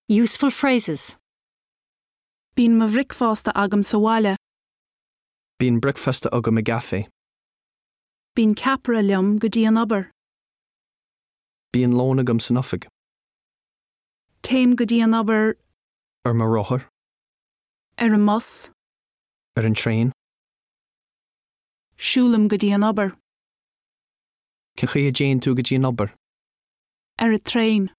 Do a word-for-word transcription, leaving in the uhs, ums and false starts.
Useful phrases. Bíonn mo bhricfeasta agam sa bhaile, Bíonn bricfeasta agam i gcaife. Bíonn ceapaire liom go dtí an obair. Bíonn lón agam san oifig. Téim go dtí an obair Ar mo rothar, ar an mbus, ar an traein, siúlaim go dtí an obair, Cén chaoi a dtéann tú go dtí an obair. ar an traein.